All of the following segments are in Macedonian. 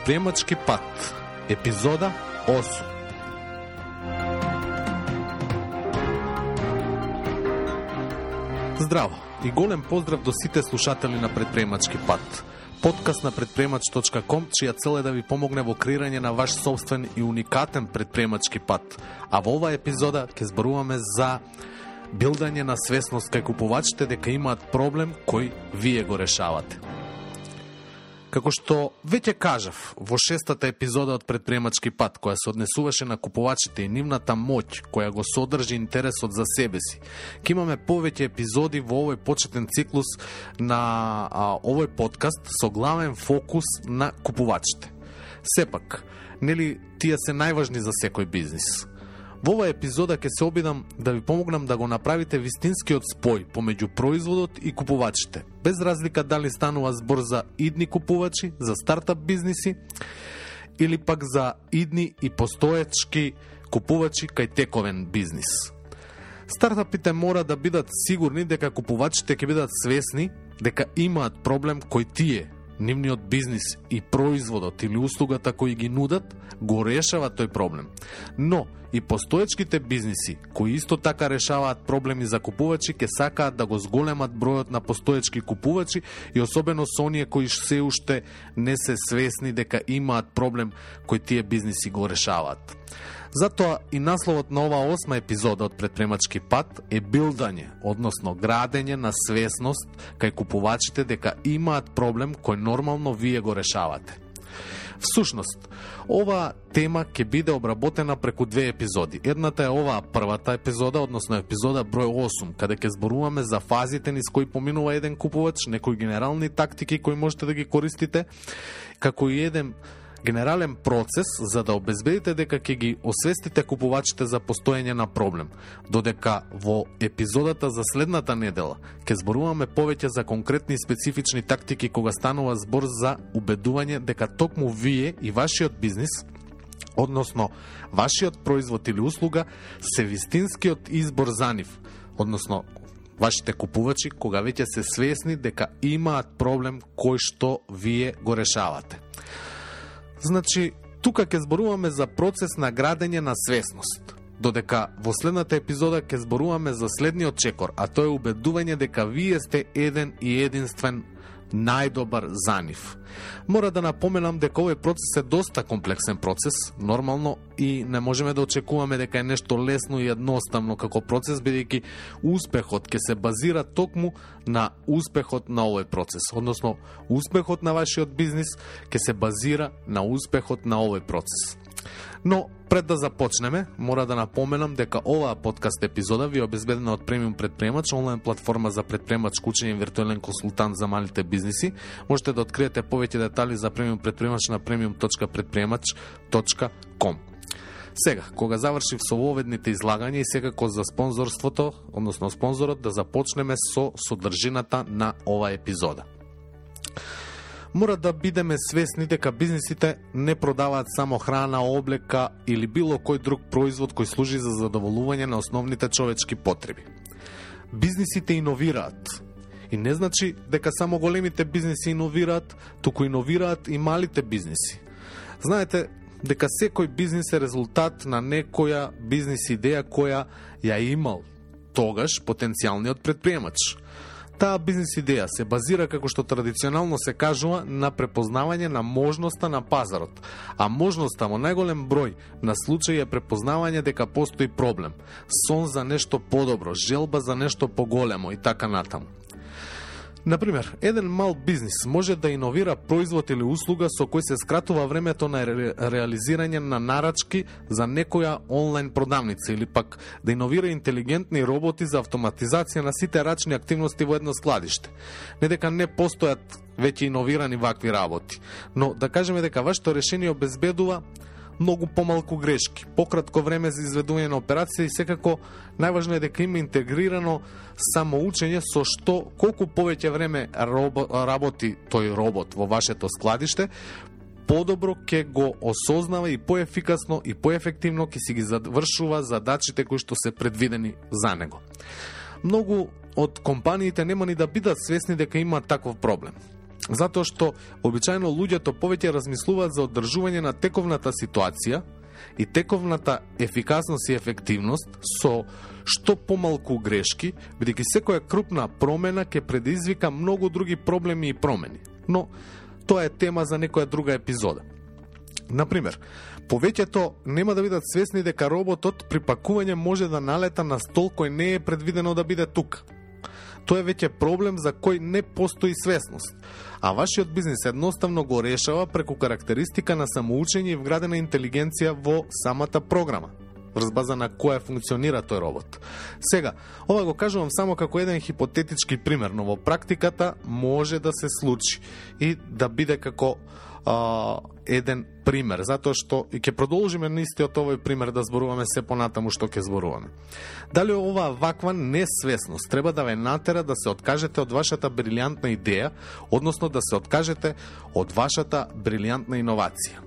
Предприемачки пат, епизода 8. Здраво и голем поздрав до сите слушатели на Предприемачки пат, подкаст на предприемач.com, чија цел е да ви помогне во креирање на ваш собствен и уникатен предприемачки пат. А во оваа епизода ќе зборуваме за билдање на свесност кај купувачите дека имаат проблем кој вие го решавате. Како што веќе кажав во 6-та епизода од Предприемачки пат, која се однесуваше на купувачите и нивната моќ, која го содржи интересот за себе си, ќе имаме повеќе епизоди во овој почетен циклус на овој подкаст со главен фокус на купувачите. Сепак, нели тие се најважни за секој бизнис? Во оваа епизода ќе се обидам да ви помогнам да го направите вистинскиот спој помеѓу производот и купувачите, без разлика дали станува збор за идни купувачи, за стартап бизниси или пак за идни и постоечки купувачи кај тековен бизнис. Стартапите мора да бидат сигурни дека купувачите ќе бидат свесни дека имаат проблем кој тие, нивниот бизнис и производот или услугата кои ги нудат, го решава тој проблем. Но и постоечките бизниси, кои исто така решаваат проблеми за купувачи, ќе сакаат да го зголемат бројот на постоечки купувачи и особено со оние кои се уште не се свесни дека имаат проблем кој тие бизниси го решаваат. Затоа и насловот на оваа 8 епизода од Предприемачки пат е билдање, односно градење на свесност кај купувачите дека имаат проблем кој нормално вие го решавате. Всушност, оваа тема ќе биде обработена преку 2 епизоди. Едната е оваа првата епизода, односно епизода број 8, каде ќе зборуваме за фазите низ кои поминува еден купувач, некои генерални тактики кои можете да ги користите, како и еден генерален процес за да обезбедите дека ќе ги освестите купувачите за постоење на проблем. Додека во епизодата за следната недела ќе зборуваме повеќе за конкретни и специфични тактики кога станува збор за убедување дека токму вие и вашиот бизнис, односно вашиот производ или услуга, се вистинскиот избор за нив, односно вашите купувачи кога веќе се свесни дека имаат проблем кој што вие го решавате. Значи, тука ќе зборуваме за процес на градење на свесност, додека во следната епизода ќе зборуваме за следниот чекор, а тоа е убедување дека вие сте еден и единствен најдобар за нив. Мора да напоменам дека овој процес е доста комплексен процес, нормално, и не можеме да очекуваме дека е нешто лесно и едноставно како процес, бидејќи успехот ќе се базира токму на успехот на овој процес, односно успехот на вашиот бизнис ќе се базира на успехот на овој процес. Но, пред да започнеме, мора да напоменам дека оваа подкаст епизода ви е обезбедена од Премиум Предприемач, онлайн платформа за предприемачко учење и виртуелен консултант за малите бизниси. Можете да откриете повеќе детали за Премиум Предприемач на premium.предприемач.com. Сега, кога завршив со воведните излагања и секако за спонзорството, односно спонзорот, да започнеме со содржината на оваа епизода. Мора да бидеме свесни дека бизнисите не продаваат само храна, облека или било кој друг производ кој служи за задоволување на основните човечки потреби. Бизнисите иновираат. И не значи дека само големите бизниси иновираат, туку иновираат и малите бизниси. Знаете дека секој бизнис е резултат на некоја бизнис идеја која ја имал тогаш потенцијалниот предприемач. Таа бизнис идеја се базира, како што традиционално се кажува, на препознавање на можноста на пазарот, а можноста во најголем број на случаи е препознавање дека постои проблем, сон за нешто подобро, желба за нешто поголемо и така натаму. Например, еден мал бизнис може да иновира производ или услуга со кој се скратува времето на реализирање на нарачки за некоја онлайн продавница или пак да иновира интелигентни роботи за автоматизација на сите рачни активности во едно складиште. Не дека не постојат веќе иновирани вакви работи, но да кажеме дека вашето решение обезбедува многу помалку грешки, пократко време за изведување на операција и секако најважно е дека има интегрирано самоучење со што колку повеќе време работи тој робот во вашето складиште, подобро ќе го осознава и поефикасно и поефективно ќе си ги завршува задачите кои што се предвидени за него. Многу од компаниите нема ни да бидат свесни дека има таков проблем. Затоа што обичаено луѓето повеќе размислуваат за одржување на тековната ситуација и тековната ефикасност и ефективност со што помалку грешки, бидејќи секоја крупна промена ќе предизвика многу други проблеми и промени. Но тоа е тема за некоја друга епизода. Например, повеќето нема да бидат свесни дека роботот при пакување може да налета на стол кој не е предвидено да биде тука. Тоа е веќе проблем за кој не постои свесност, а вашиот бизнис едноставно го решава преку карактеристика на самоучење и вградена интелигенција во самата програма, врз база на која функционира тој робот. Сега, ова го кажувам само како еден хипотетички пример, но во практиката може да се случи и да биде како еден пример, затоа што и ќе продолжиме на истиот овој пример да зборуваме се понатаму што ќе зборуваме. Дали оваа ваква несвесност треба да ве натера да се откажете од вашата брилјантна идеја, односно да се откажете од вашата брилјантна иновација?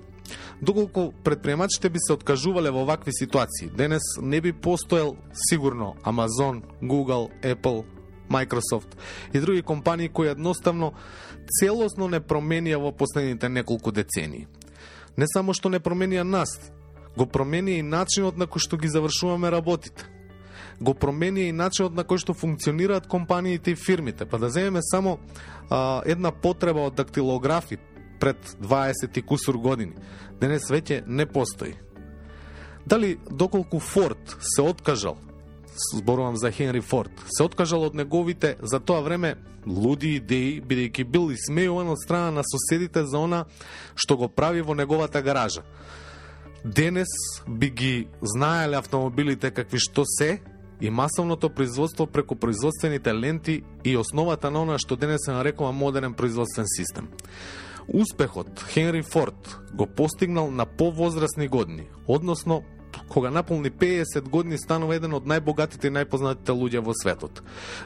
Доколку предприемачите би се откажувале во вакви ситуации, денес не би постоел сигурно Amazon, Google, Apple, Microsoft и други компании кои едноставно целосно не променија во последните неколку децении. Не само што не променија нас, го променија и начинот на кој што ги завршуваме работите. Го променија и начинот на кој што функционираат компаниите и фирмите. Па да земеме само една потреба од дактилографи пред 20 и кусур години. Денес веќе не постои. Дали доколку Форд се откажал, зборувам за Хенри Форд, се откажал од неговите за тоа време луди идеи, бидејќи бил исмејуван од страна на соседите за она што го прави во неговата гаража. Денес би ги знаеле автомобилите какви што се и масовното производство преку производствените ленти и основата на она што денес се нарекува модерен производствен систем. Успехот Хенри Форд го постигнал на повозрасни години, односно кога наполни 50 години станува еден од најбогатите и најпознатите луѓе во светот.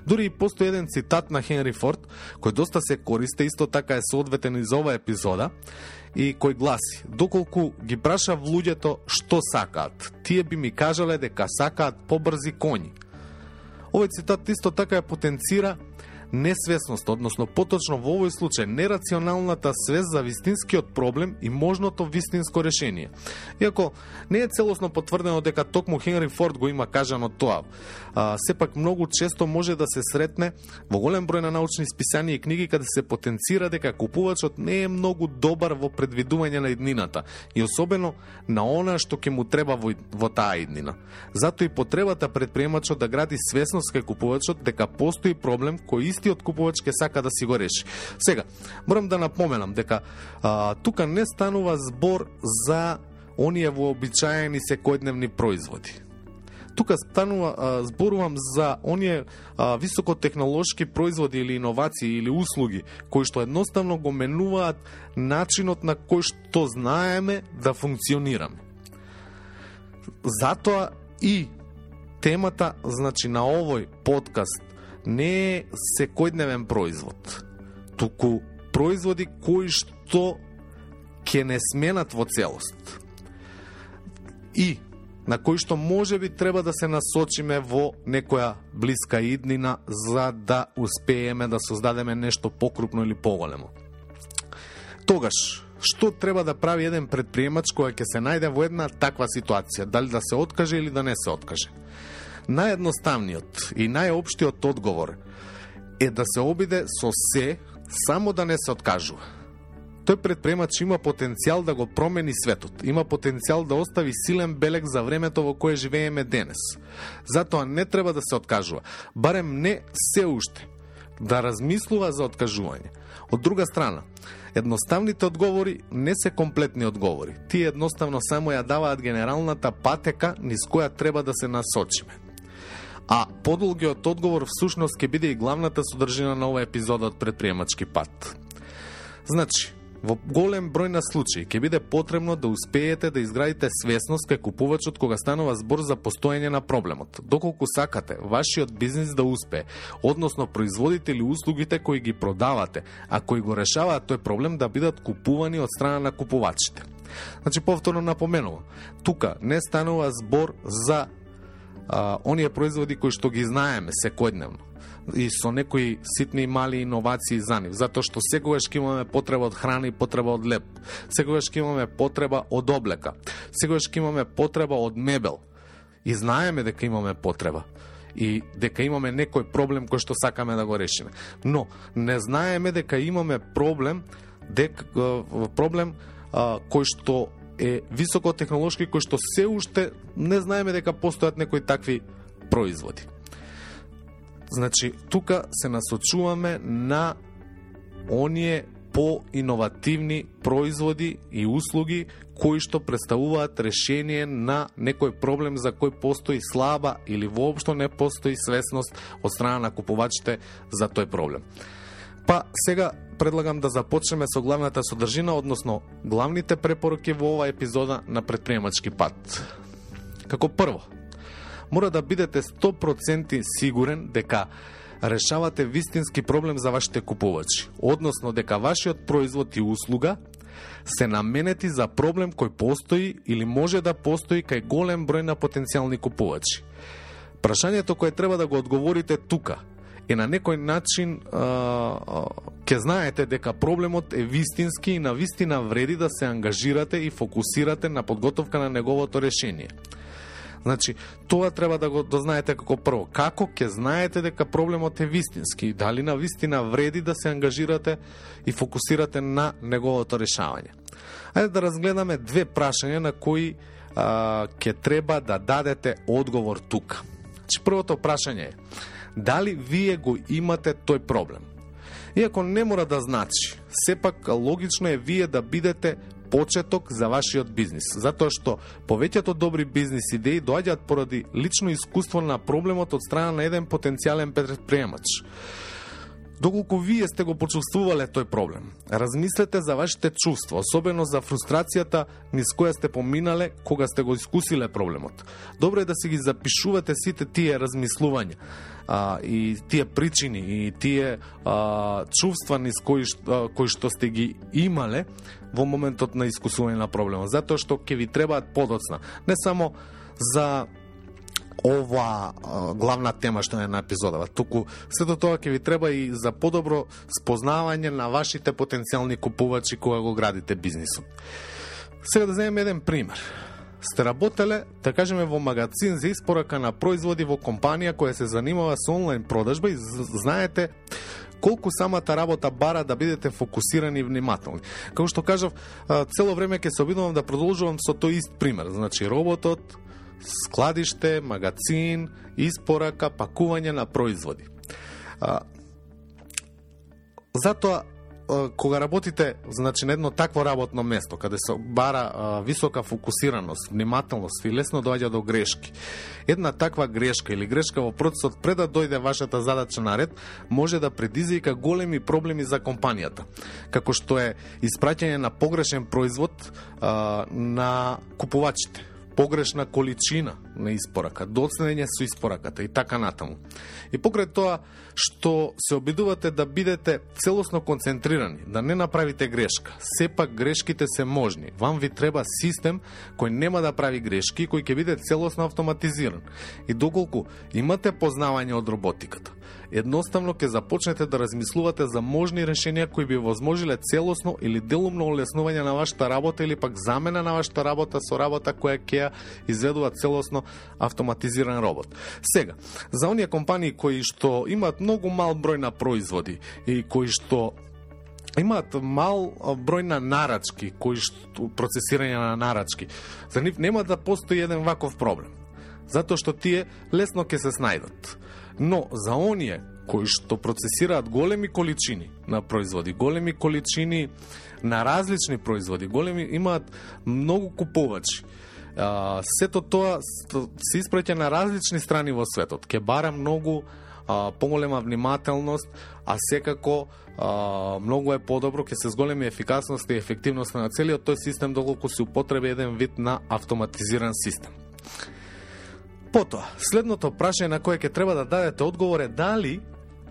Дури и постои еден цитат на Хенри Форд, кој доста се користи, исто така е соодветен и за ова епизода, и кој гласи: доколку ги прашав луѓето што сакаат, тие би ми кажале дека сакаат побрзи коњи. Овој цитат исто така ја потенцира несвесност, односно поточно во овој случај нерационалната свест за вистинскиот проблем и можното вистинско решение. Иако не е целосно потврдено дека токму Хенри Форд го има кажано тоа, сепак многу често може да се сретне во голем број на научни списанија и книги каде се потенцира дека купувачот не е многу добар во предвидување на иднината и особено на она што ќе му треба во таа иднина. Затоа и потребата предприемачот да гради свесност кај купувачот дека постои проблем кој истиот купувач ќе сака да си го реши. Сега, морам да напоменам дека тука не станува збор за оние вообичаени секојдневни производи. Тука зборувам за оние високотехнолошки производи или иновации или услуги кои што едноставно го менуваат начинот на кој што знаеме да функционираме. Затоа и темата, значи, на овој подкаст не е секојдневен производ, туку производи кои што ќе не сменат во целост и на кои што може би треба да се насочиме во некоја блиска иднина за да успееме да создадеме нешто покрупно или поголемо. Тогаш, што треба да прави еден предприемач кој ќе се најде во една таква ситуација, дали да се откаже или да не се откаже? Наједноставниот и најопштиот одговор е да се обиде со се, само да не се откажува. Тој предприемач има потенцијал да го промени светот, има потенцијал да остави силен белег за времето во кое живееме денес. Затоа не треба да се откажува, барем не се уште, да размислува за откажување. Од друга страна, едноставните одговори не се комплетни одговори. Тие едноставно само ја даваат генералната патека низ која треба да се насочиме. А подолгиот одговор всушност ќе биде и главната содржина на оваа епизода од Предприемачки пат. Значи, во голем број на случаи ќе биде потребно да успеете да изградите свесност кај купувачот кога станува збор за постоење на проблемот. Доколку сакате вашиот бизнис да успее, односно производите или услугите кои ги продавате, а кои го решаваат тој проблем да бидат купувани од страна на купувачите. Значи, повторно напоменувам, тука не станува збор за оние производи кои што ги знаеме секојдневно. и со некои ситни и мали иновации за нив, затоа што секогаш ќе имаме потреба од храна и потреба од леп, секогаш ќе имаме потреба од облека, секогаш ќе имаме потреба од мебел и знаеме дека имаме потреба и дека имаме некој проблем кој што сакаме да го решиме. Но не знаеме дека имаме проблем кој што е високотехнолошки, кој што се уште не знаеме дека постојат некои такви производи. Значи, тука се насочуваме на оние поиновативни производи и услуги кои што представуваат решение на некој проблем за кој постои слаба или воопшто не постои свесност од страна на купувачите за тој проблем. Па сега предлагам да започнеме со главната содржина, односно главните препораки во оваа епизода на Предприемачки пат. Како прво, мора да бидете 100% сигурен дека решавате вистински проблем за вашите купувачи, односно дека вашиот производ и услуга се наменети за проблем кој постои или може да постои кај голем број на потенцијални купувачи. Прашањето кое треба да го одговорите тука е на некој начин ќе знаете дека проблемот е вистински и на вистина вреди да се ангажирате и фокусирате на подготовка на неговото решение. Значи, тоа треба да го дознаете како прво. Како ќе знаете дека проблемот е вистински? Дали на вистина вреди да се ангажирате и фокусирате на неговото решавање? Ајде да разгледаме две прашања на кои ќе треба да дадете одговор тука. Значи, првото прашање е: дали вие го имате тој проблем? Иако не мора да значи, сепак логично е вие да бидете почеток за вашиот бизнис, затоа што повеќето добри бизнис идеи доаѓаат поради лично искуство на проблемот од страна на еден потенцијален предприемач. Доколку вие сте го почувствувале тој проблем, размислете за вашите чувства, особено за фрустрацијата низ која сте поминале кога сте го искусиле проблемот. Добро е да си ги запишувате сите тие размислувања и тие причини и тие чувства низ кои што сте ги имале во моментот на искусување на проблемот, затоа што ќе ви требаат подоцна, не само за ова главна тема што е на епизодава, туку сето тоа ќе ви треба и за подобро спознавање на вашите потенцијални купувачи кога го градите бизнисот. Сега да земеме еден пример. Сте работеле, да кажеме, во магазин за испорака на производи во компанија која се занимава со онлайн продажба и знаете колку самата работа бара да бидете фокусирани и внимателни. Како што кажав, цело време ќе се обидувам да продолжувам со тој ист пример. Значи, работот, складиште, магазин, испорака, пакување на производи. Затоа, кога работите, значи, на едно такво работно место, каде се бара висока фокусираност, внимателност и лесно доаѓа до грешки, една таква грешка или грешка во процесот пред да дојде вашата задача наред, може да предизвика големи проблеми за компанијата, како што е испраќање на погрешен производ на купувачите, погрешна количина на испорака, доцнење со испораката и така натаму. И покрај тоа што се обидувате да бидете целосно концентрирани, да не направите грешка, сепак грешките се можни. Вам ви треба систем кој нема да прави грешки, кој ќе биде целосно автоматизиран. И доколку имате познавање од роботиката, едноставно ќе започнете да размислувате за можни решенија кои би возможиле целосно или делумно олеснување на вашата работа или пак замена на вашата работа со работа која ќе ја изведува целосно автоматизиран робот. Сега, за оние компании кои што имаат многу мал број на производи и кои што имаат мал број на нарачки, кои што процесирање на нарачки, за нив нема да постои еден ваков проблем, затоа што тие лесно ќе се снајдат. Но за оние кои што процесираат големи количини на производи, големи количини на различни производи, имаат многу купувачи, сето тоа се испраќа на различни страни во светот. Ке бара многу поголема внимателност, а секако многу е подобро, ке се зголеми ефикасност и ефективност на целиот тој систем доколку се употреби еден вид на автоматизиран систем. Потоа, следното прашање на кое ќе треба да дадете одговор е дали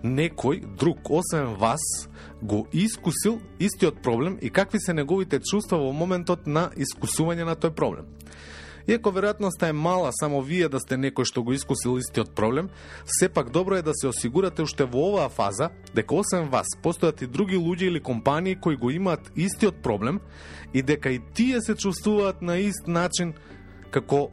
некој друг, освен вас, го искусил истиот проблем и какви се неговите чувства во моментот на искусување на тој проблем. Иако веројатноста е мала само вие да сте некој што го искусил истиот проблем, сепак добро е да се осигурате уште во оваа фаза дека освен вас постојат и други луѓе или компании кои го имаат истиот проблем и дека и тие се чувствуваат на ист начин како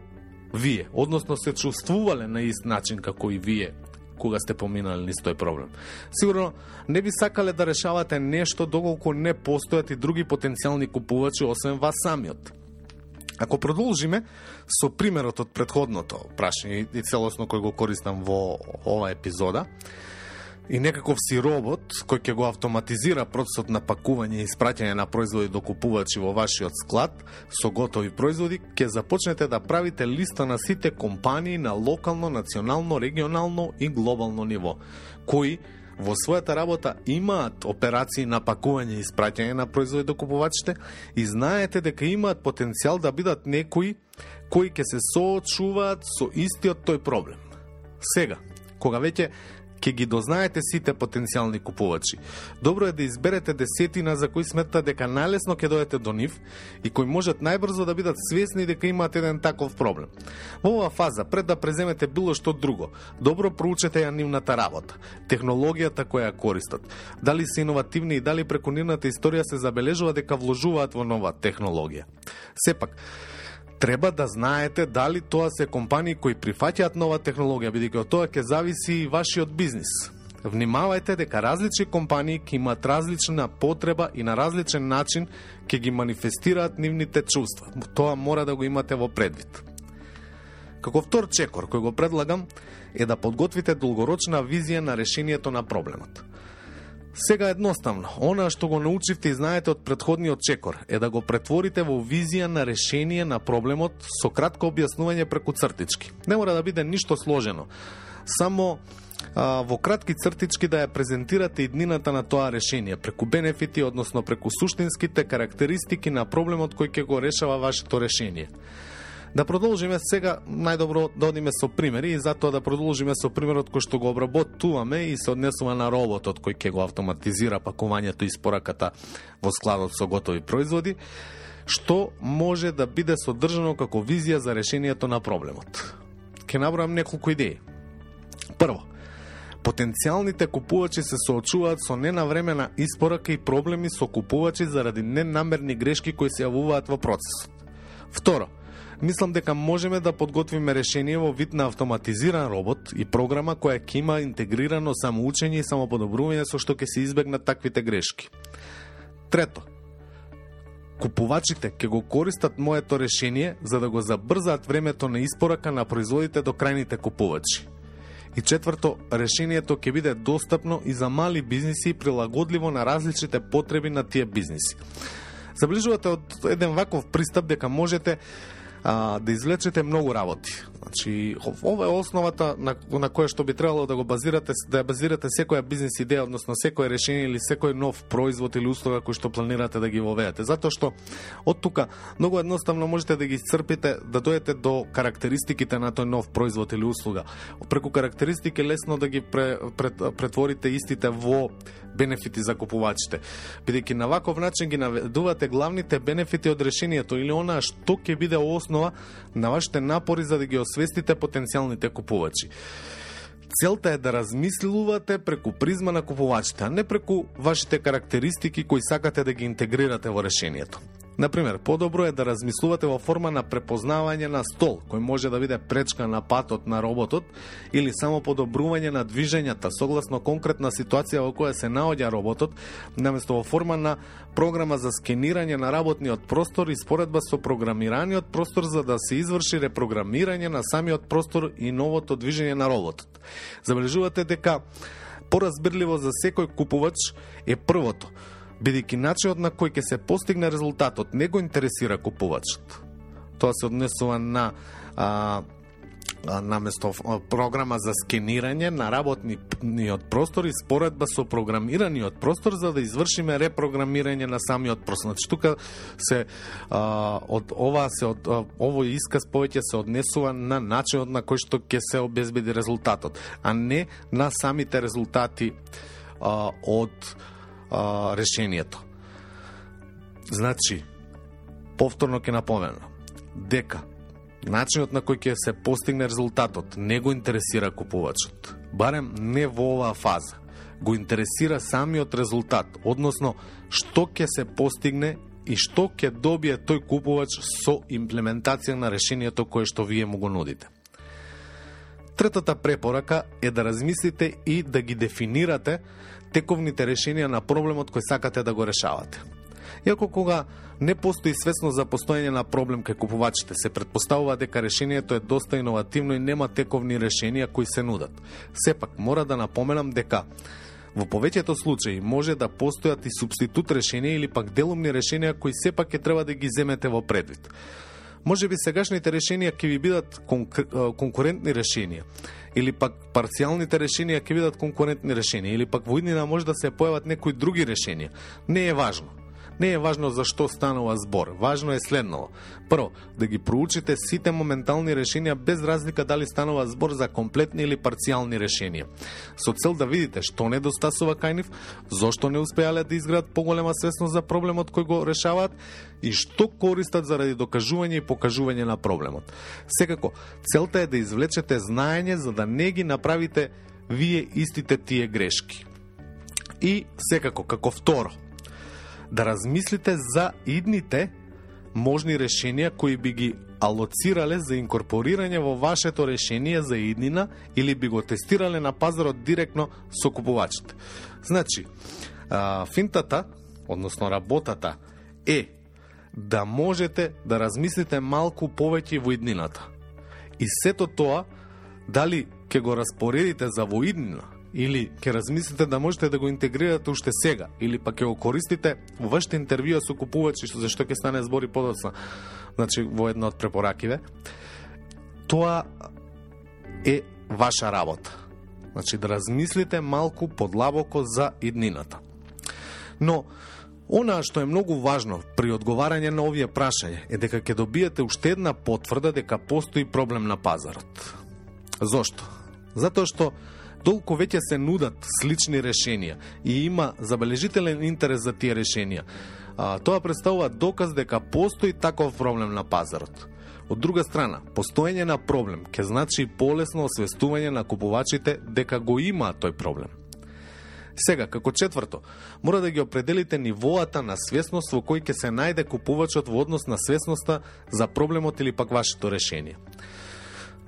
вие, односно се чувствувале на ист начин како и вие кога сте поминали низ тој проблем. Сигурно не би сакале да решавате нешто доколку не постојат и други потенцијални купувачи освен вас самиот. Ако продолжиме со примерот од претходното прашање и целосно кој го користам во оваа епизода, и некаков си робот кој ќе го автоматизира процесот на пакување и испраќање на производи до купувачи во вашиот склад со готови производи, ќе започнете да правите листа на сите компании на локално, национално, регионално и глобално ниво, кои во својата работа имаат операции на пакување и испраќање на производи до купувачите и знаете дека имаат потенцијал да бидат некои кои ќе се соочуваат со истиот тој проблем. Сега, кога веќе ќе ги дознаете сите потенцијални купувачи, добро е да изберете десетина за кои сметате дека најлесно ќе дојдете до нив и кои можат најбрзо да бидат свесни дека имаат еден таков проблем. Во оваа фаза, пред да преземете било што друго, добро проучете ја нивната работа, технологијата која ја користат, дали се иновативни и дали преку нивната историја се забележува дека вложуваат во нова технологија. Сепак, треба да знаете дали тоа се компании кои прифаќаат нова технологија, бидејќи од тоа ќе зависи и вашиот бизнис. Внимавајте дека различни компании ќе имаат различна потреба и на различен начин ќе ги манифестираат нивните чувства. Тоа мора да го имате во предвид. Како втор чекор кој го предлагам е да подготвите долгорочна визија на решението на проблемот. Сега едноставно, она што го научивте и знаете од претходниот чекор е да го претворите во визија на решение на проблемот со кратко објаснување преку цртички. Не мора да биде ништо сложено. Само во кратки цртички да ја презентирате иднината на тоа решение, преку бенефити, односно преку суштинските карактеристики на проблемот кој ќе го решава вашето решение. Да продолжиме сега, најдобро да одиме со примери и затоа да продолжиме со примерот кој што го обработуваме и се однесува на роботот кој ќе го автоматизира пакувањето и испораката во складот со готови производи, што може да биде содржано како визија за решението на проблемот. Ќе набројам неколку идеи. Прво, потенцијалните купувачи се соочуваат со ненавремена испорака и проблеми со купувачи заради ненамерни грешки кои се јавуваат во процесот. Второ, мислам дека можеме да подготвиме решение во вид на автоматизиран робот и програма која ќе има интегрирано самоучење и самоподобрување со што ќе се избегнат таквите грешки. Трето, купувачите ќе го користат моето решение за да го забрзаат времето на испорака на производите до крајните купувачи. И четврто, решението ќе биде достапно и за мали бизниси и прилагодливо на различните потреби на тие бизниси. Забележувате од еден ваков пристап дека можете да извлечете многу работи. Значи, ова е основата на која што би требало да го базирате, да ја базирате секоја бизнес идеја, односно секој решение или секој нов производ или услуга кој што планирате да ги воведете. Затоа што од тука многу едноставно можете да ги исцрпите, да дојдете до карактеристиките на тој нов производ или услуга. Преку карактеристики лесно да ги претворите истите во бенефити за купувачите. Бидејќи на ваков начин ги наведувате главните бенефити од решението или онаа што ќе биде основа на вашите напори за да ги освестите потенцијалните купувачи. Целта е да размислувате преку призма на купувачите, а не преку вашите карактеристики кои сакате да ги интегрирате во решението. Например, подобро е да размислувате во форма на препознавање на стол, кој може да биде пречка на патот на роботот или само подобрување на движењата согласно конкретна ситуација во која се наоѓа роботот, наместо во форма на програма за скенирање на работниот простор и споредба со програмираниот простор за да се изврши репрограмирање на самиот простор и новото движење на роботот. Забележувате дека поразбирливо за секој купувач е првото, бидејќи начинот на кој ќе се постигне резултатот не го интересира купувачот. Тоа се однесува на наместо програма за скенирање на работниот простор и споредба со програмираниот простор за да извршиме репрограмирање на самиот простор. Значи тука се овој исказ повеќе се однесува на начинот на кој што ќе се обезбеди резултатот, а не на самите резултати од решението. Значи, повторно ќе напоменам дека начинот на кој ќе се постигне резултатот не го интересира купувачот. Барем не во оваа фаза. Го интересира самиот резултат, односно што ќе се постигне и што ќе добие тој купувач со имплементација на решението кое што вие му го нудите. Третата препорака е да размислите и да ги дефинирате тековните решенија на проблемот кој сакате да го решавате. Иако кога не постои свесност за постоење на проблем кај купувачите, се претпоставува дека решението е доста иновативно и нема тековни решенија кои се нудат. Сепак, мора да напоменам дека во повеќето случаи може да постојат и супститут решенија или пак делумни решенија кои сепак ќе треба да ги земете во предвид. Може би сегашните решенија ќе ви бидат конкурентни решенија, или пак парцијалните решенија ќе бидат конкурентни решенија, или пак во иднина може да се појават некои други решенија. Не е важно. Не е важно за што станува збор. Важно е следното. Прво, да ги проучите сите моментални решенија без разлика дали станува збор за комплетни или парцијални решенија. Со цел да видите што недостасува кај нив, зошто не успеале да изградат поголема свесност за проблемот кој го решаваат и што користат заради докажување и покажување на проблемот. Секако, целта е да извлечете знаење за да не ги направите вие истите тие грешки. И секако, како второ, да размислите за идните можни решенија кои би ги алоцирале за инкорпорирање во вашето решение за иднина или би го тестирале на пазарот директно со купувачите. Значи, финтата, односно работата, е да можете да размислите малку повеќе во иднината. И сето тоа, дали ќе го распоредите за во иднина, или ќе размислите да можете да го интегрирате уште сега, или пак ќе го користите во вашите интервјуа со купувачи, за што ќе стане збори подоцна, значи во една од препоракиве, тоа е ваша работа. Значи да размислите малку подлабоко за иднината. Но она што е многу важно при одговарање на овие прашања е дека ќе добиете уште една потврда дека постои проблем на пазарот. Зошто? Затоа што толку веќе се нудат слични решенија и има забележителен интерес за тие решенија. Тоа представува доказ дека постои таков проблем на пазарот. Од друга страна, постоење на проблем ќе значи полесно освестување на купувачите дека го има тој проблем. Сега, како четврто, мора да ги определите нивоата на свесност во кој ќе се најде купувачот во однос на свесноста за проблемот или пак вашето решение.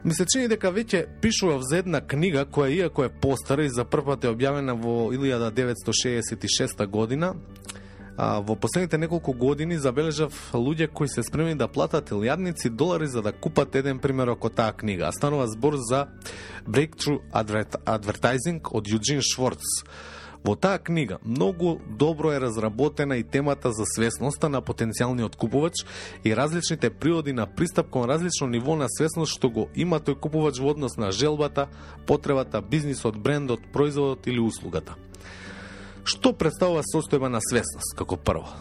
Ми се чини дека веќе пишував за една книга која иако е постара и за прв пат е објавена во 1966 година, во последните неколку години забележав луѓе кои се спремни да платат илјадници долари за да купат еден примерок од таа книга. Станува збор за Breakthrough Advertising од Юджин Шворц. Во таа книга многу добро е разработена и темата за свесноста на потенцијалниот купувач и различните природи на пристап кон различно ниво на свесност што го има тој купувач во однос на желбата, потребата, бизнисот, брендот, производот или услугата. Што представува состојба на свесност како прво?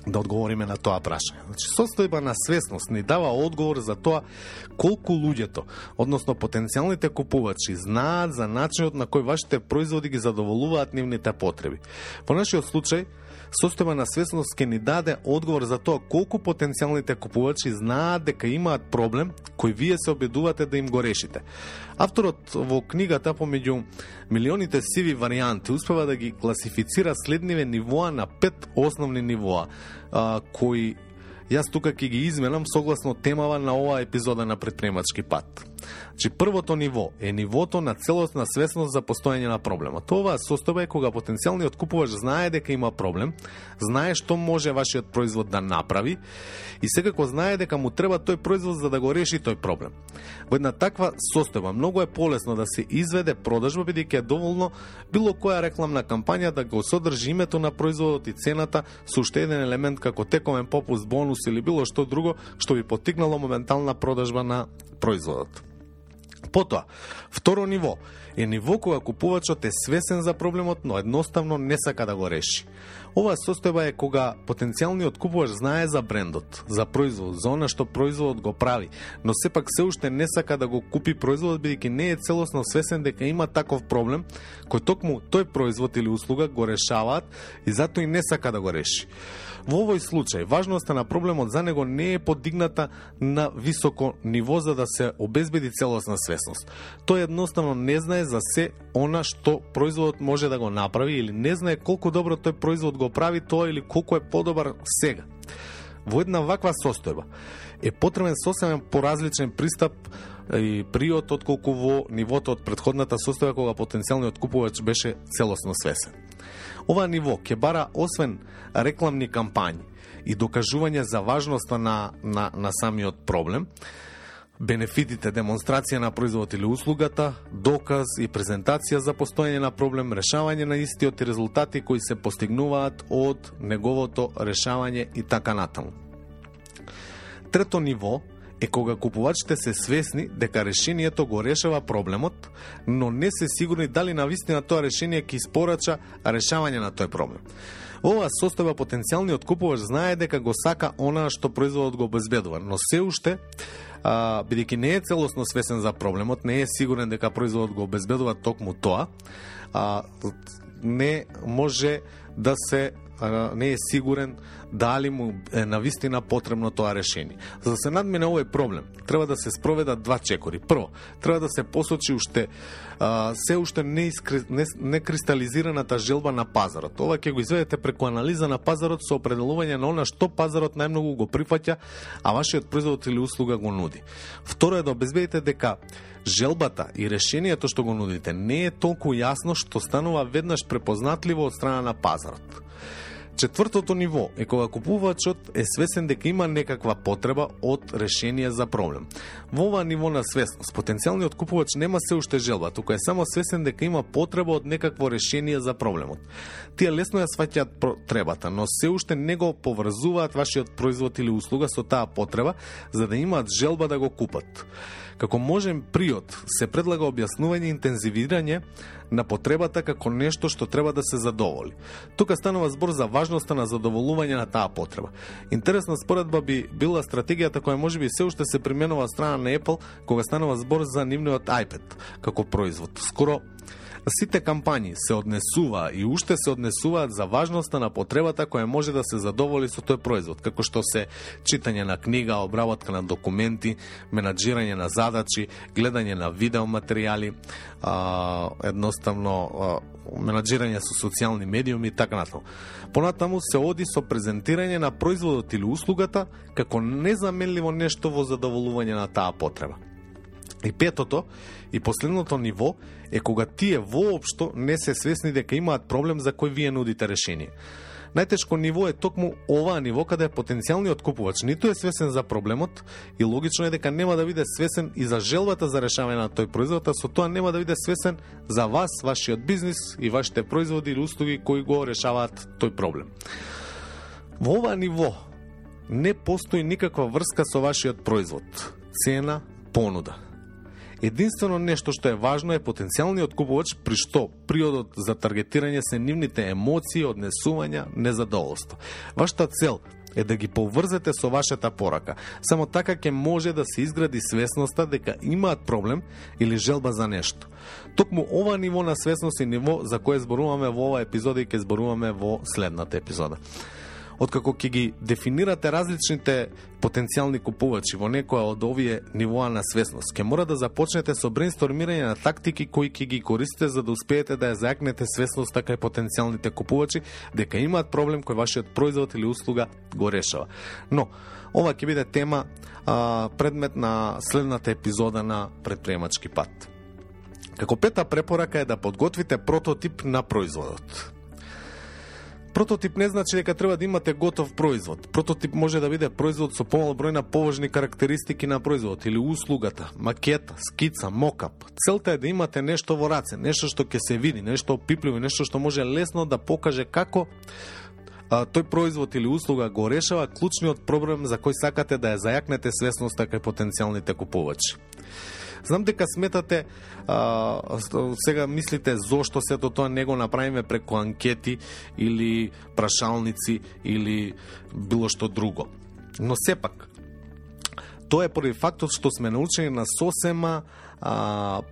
Да одговориме на тоа прашање. Значи, состојба на свесност ни дава одговор за тоа колку луѓето, односно потенцијалните купувачи, знаат за начинот на кој вашите производи ги задоволуваат нивните потреби. Во нашиот случај, состојба на свесност ќе ни даде одговор за тоа колку потенцијалните купувачи знаат дека имаат проблем кој вие се обидувате да им го решите. Авторот во книгата помеѓу милионите сиви варијанти успева да ги класифицира следниве нивоа на 5 основни нивоа, кои јас тука ќе ги изменам согласно темава на оваа епизода на Предприемачки пат. Значи, првото ниво е нивото на целосна свесност за постоење на проблемот. Оваа состојба е кога потенцијалниот купувач знае дека има проблем, знае што може вашиот производ да направи и секако знае дека му треба тој производ за да го реши тој проблем. Во една таква состојба многу е полесно да се изведе продажба, бидејќи е доволно било која рекламна кампања да го содржи името на производот и цената со уште еден елемент како тековен попуст, бонус или било што друго што би поттикнало моментална продажба на производот. Потоа, второ ниво е ниво кога купувачот е свесен за проблемот, но едноставно не сака да го реши. Оваа состојба е кога потенцијалниот купувач знае за брендот, за производ, за она што производот го прави, но сепак се уште не сака да го купи производот бидејќи не е целосно свесен дека има таков проблем кој токму тој производ или услуга го решаваат и затоа и не сака да го реши. Во овој случај, важноста на проблемот за него не е подигната на високо ниво за да се обезбеди целосна свесност. Тој едноставно не знае за се она што производот може да го направи или не знае колку добро тој производ го прави тоа или колку е подобар сега. Во една ваква состојба е потребен сосемен поразличен пристап и приод отколку во нивото од претходната состојба кога потенцијалниот купувач беше целосно свесен. Ова ниво ќе бара освен рекламни кампањи и докажување за важноста на самиот проблем, бенефитите, демонстрација на производот или услугата, доказ и презентација за постоење на проблем, решавање на истиот и резултати кои се постигнуваат од неговото решавање и така натаму. Трето ниво е кога купувачите се свесни дека решението го решава проблемот, но не се сигурни дали навистина тоа решение ќе испорача решавање на тој проблем. Во оваа состојба потенцијалниот купувач знае дека го сака она што производот го обезбедува, но се уште бидејќи не е целосно свесен за проблемот, не е сигурен дека производот го обезбедува токму тоа, не може да се не е сигурен дали му е навистина потребно тоа решение. За да се надмине овој проблем, треба да се спроведат два чекори. Прво, треба да се посочи уште се уште не кристализираната желба на пазарот. Ова ќе го изведете преку анализа на пазарот со определување на она што пазарот најмногу го прифаќа, а вашиот производ или услуга го нуди. Второ е да обезбедите дека желбата и решението што го нудите не е толку јасно што станува веднаш препознатливо од страна на пазарот. Четвртото ниво е кога купувачот е свесен дека има некаква потреба од решение за проблем. Во ова ниво на свесност, потенцијалниот купувач нема се уште желба, туку е само свесен дека има потреба од некакво решение за проблемот. Тие лесно ја сваќаат потребата, но се уште не го поврзуваат вашиот производ или услуга со таа потреба, за да имаат желба да го купат. Како можен приод се предлага објаснување и интензивирање на потребата како нешто што треба да се задоволи. Тука станува збор за важноста на задоволување на таа потреба. Интересна споредба би била стратегијата која можеби се уште се применува од страна на Apple кога станува збор за нивниот iPad како производ. Скоро сите кампањи се однесува и уште се однесуваат за важноста на потребата која може да се задоволи со тој производ, како што се читање на книга, обработка на документи, менаџирање на задачи, гледање на видеоматеријали, едноставно менаџирање со социјални медиуми и така натаму. Понатаму се оди со презентирање на производот или услугата како незаменливо нешто во задоволување на таа потреба. И петото и последното ниво е кога тие воопшто не се свесни дека имаат проблем за кој вие нудите решение. Најтешко ниво е токму оваа ниво каде потенцијалниот купувач ниту е свесен за проблемот и логично е дека нема да биде свесен и за желбата за решавање на тој производ, а со тоа нема да биде свесен за вас, вашиот бизнис и вашите производи или услуги кои го решаваат тој проблем. Во оваа ниво не постои никаква врска со вашиот производ, цена, понуда. Единствено нешто што е важно е потенцијалниот купувач при што приодот за таргетирање се нивните емоции, однесувања, незадоволство. Вашата цел е да ги поврзете со вашата порака. Само така ќе може да се изгради свесноста дека имаат проблем или желба за нешто. Токму ова ниво на свесност е ниво за кое зборуваме во оваа епизода и ќе зборуваме во следната епизода. Откако ќе ги дефинирате различните потенцијални купувачи во некоја од овие нивоа на свесност, ќе мора да започнете со брейнстормирање на тактики кои ќе ги користите за да успеете да ја зајакнете свесноста кај потенцијалните купувачи дека имаат проблем кој вашиот производ или услуга го решава. Но, ова ќе биде тема предмет на следната епизода на Предприемачки пат. Како пета препорака е да подготвите прототип на производот. Прототип не значи дека треба да имате готов производ. Прототип може да биде производ со помал број на поважни карактеристики на производот или услугата, макета, скица, мокап. Целта е да имате нешто во раце, нешто што ќе се види, нешто опипливо, нешто што може лесно да покаже како тој производ или услуга го решава клучниот проблем за кој сакате да ја зајакнете свесноста кај потенцијалните купувачи. Знам дека сметате, сега мислите зошто сето тоа не го направиме преку анкети или прашалници или било што друго. Но сепак, тоа е поради фактот што сме научени на сосема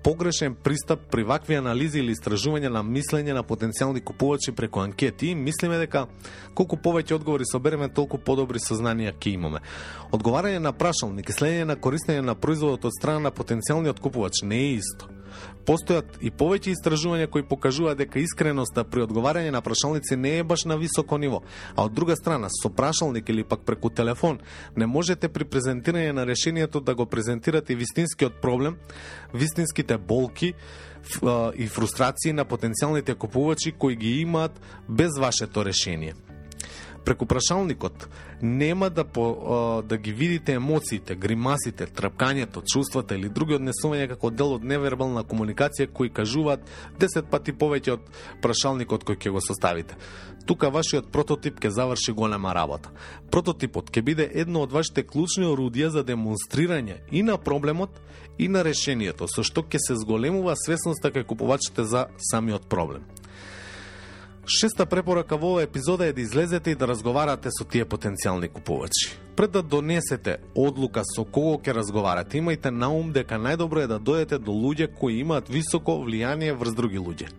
погрешен пристап при вакви анализи или истражување на мислење на потенцијални купувачи преку анкети. Мислиме дека колку повеќе одговори собереме, толку подобри сознанија ќе имаме. Одговарање на прашалник и следење на користење на производот од страна на потенцијалниот купувач не е исто. Постојат и повеќе истражувања кои покажуваат дека искреноста при одговарање на прашалници не е баш на високо ниво, а од друга страна, со прашалник или пак преку телефон, не можете при презентирање на решението да го презентирате вистинскиот проблем, вистинските болки и фрустрации на потенцијалните купувачи кои ги имаат без вашето решение. Преку прашалникот нема да ги видите емоциите, гримасите, трапкањето, чувствата или други однесувања како дел од невербална комуникација кои кажуваат 10 пати повеќе од прашалникот кој ќе го составите. Тука вашиот прототип ќе заврши голема работа. Прототипот ќе биде едно од вашите клучни орудија за демонстрирање и на проблемот и на решението, со што ќе се зголемува свесноста кај купувачите за самиот проблем. Шеста препорака во оваа епизода е да излезете и да разговарате со тие потенцијални купувачи. Пред да донесете одлука со кого ќе разговарате, имајте на ум дека најдобро е да дојдете до луѓе кои имаат високо влијание врз други луѓе.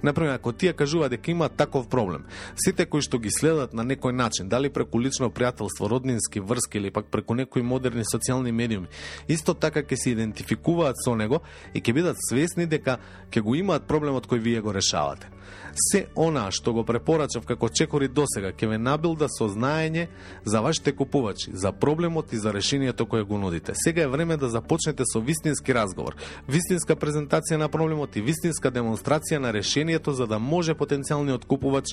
Например, ако тие кажуваат дека имаат таков проблем, сите кои што ги следат на некој начин, дали преку лично пријателство, роднински врски или пак преку некои модерни социјални медиуми, исто така ќе се идентификуваат со него и ќе бидат свесни дека ќе го имаат проблемот кој вие го решавате. Се она што го препорачав како чекори досега ќе ве набилда со знаење за вашите купувачи, за проблемот и за решението кое го нудите. Сега е време да започнете со вистински разговор, вистинска презентација на проблемот и вистинска демонстрација на решението за да може потенцијалниот купувач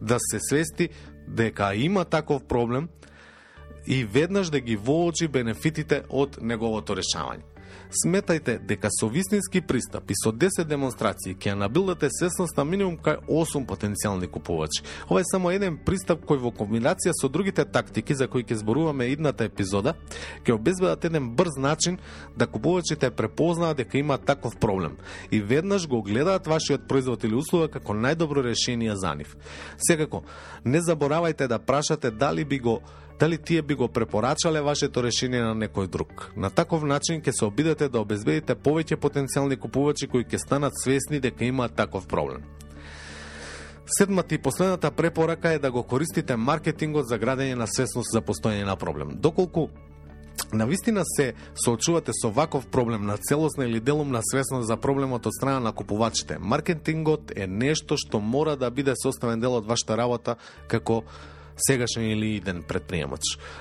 да се свести дека има таков проблем и веднаш да ги воочи бенефитите од неговото решавање. Сметајте дека со вистински пристап и со 10 демонстрации ќе набилдате свесност на минимум кај 8 потенцијални купувачи. Ова е само еден пристап кој во комбинација со другите тактики за кои ќе зборуваме идната епизода, ќе обезбедат еден брз начин да купувачите препознаат дека има таков проблем и веднаш го гледаат вашиот производ или услуга како најдобро решение за нив. Секако, не заборавајте да прашате дали тие би го препорачале вашето решение на некој друг. На таков начин ќе се обидете да обезбедите повеќе потенцијални купувачи кои ќе станат свесни дека имаат таков проблем. Седмата и последната препорака е да го користите маркетингот за градење на свесност за постоење на проблем. Доколку навистина се соочувате со ваков проблем на целосна или делумна свесност за проблемот од страна на купувачите, маркетингот е нешто што мора да биде составен дел од вашата работа како сегашен или иден предприемач.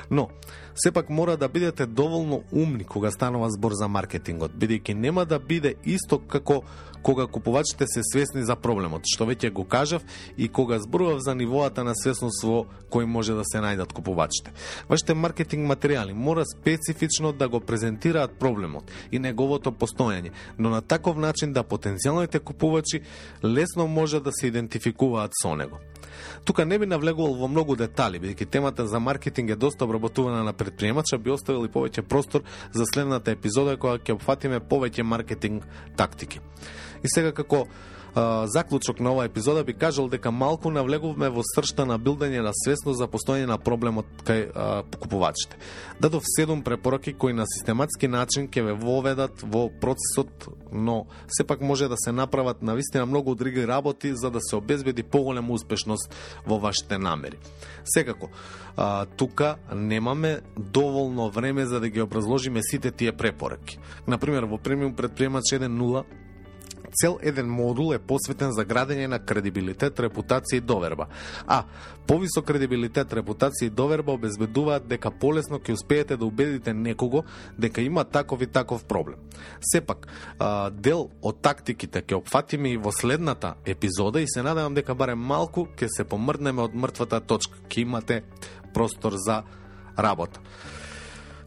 Но, сепак мора да бидете доволно умни кога станува збор за маркетингот, бидејќи нема да биде исто како кога купувачите се свесни за проблемот, што веќе го кажав и кога зборував за нивоата на свесност во кој може да се најдат купувачите. Вашите маркетинг материјали мора специфично да го презентираат проблемот и неговото постојање, но на таков начин да потенцијалните купувачи лесно може да се идентификуваат со него. Тука не би навлегувал во многу детали, бидејќи темата за маркетинг е доста обработувана на предприемача, би оставил и повеќе простор за следната епизода која ќе опфатиме повеќе маркетинг тактики. И сега како заклучок на оваа епизода би кажал дека малку навлегувме во сршта на билдање на свесност за постоење на проблемот кај купувачите. Дадов 7 препораки кои на систематски начин ќе ве воведат во процесот, но сепак може да се направат навистина многу други работи за да се обезбеди поголема успешност во вашите намери. Секако, тука немаме доволно време за да ги образложиме сите тие препораки. Например, во премиум предприемач 1.0 цел еден модул е посветен за градење на кредибилитет, репутација и доверба. А повисок кредибилитет, репутација и доверба обезбедуваат дека полесно ќе успеете да убедите некого дека има таков и таков проблем. Сепак, дел од тактиките ќе опфатиме и во следната епизода и се надевам дека барем малку ќе се помрднеме од мртвата точка, ќе имате простор за работа.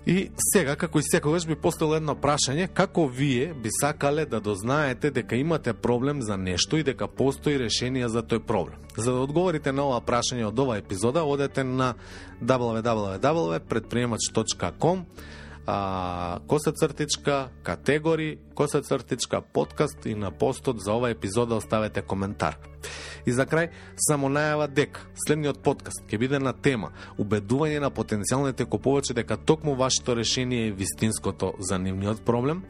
И сега, како и секогаш, би поставил едно прашање, како вие би сакале да дознаете дека имате проблем за нешто и дека постои решение за тој проблем. За да одговорите на ова прашање од оваа епизода, одете на www.предприемач.com, категори, подкаст и на постот за ова епизода оставете коментар. И за крај, само најава дека следниот подкаст ќе биде на тема убедување на потенцијалните купувачи дека токму вашето решение е вистинското за нивниот проблем.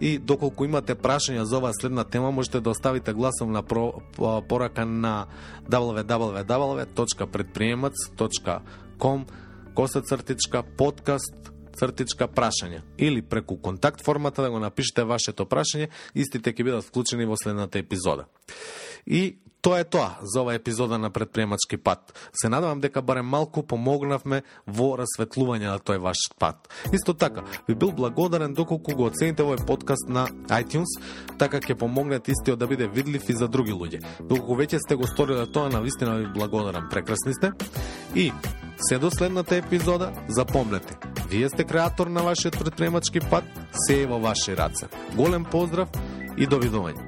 И доколку имате прашања за оваа следна тема, можете да оставите гласовна порака на www.предприемаc.com/podcast/прашања или преку контакт формата да го напишете вашето прашање, истите ќе бидат вклучени во следната епизода. И тоа е тоа за оваа епизода на Предприемачки пат. Се надевам дека барем малку помогнавме во расветлување на тој ваш пат. Исто така, би бил благодарен доколку го оцените овој подкаст на iTunes, така ќе помогнете истиот да биде видлив и за други луѓе. Доколку веќе сте го сториле тоа, навистина ви благодарам, прекрасни сте. И се до следната епизода, запомнете, вие сте креатор на вашиот предприемачки пат, се е во ваши раце. Голем поздрав и довидување.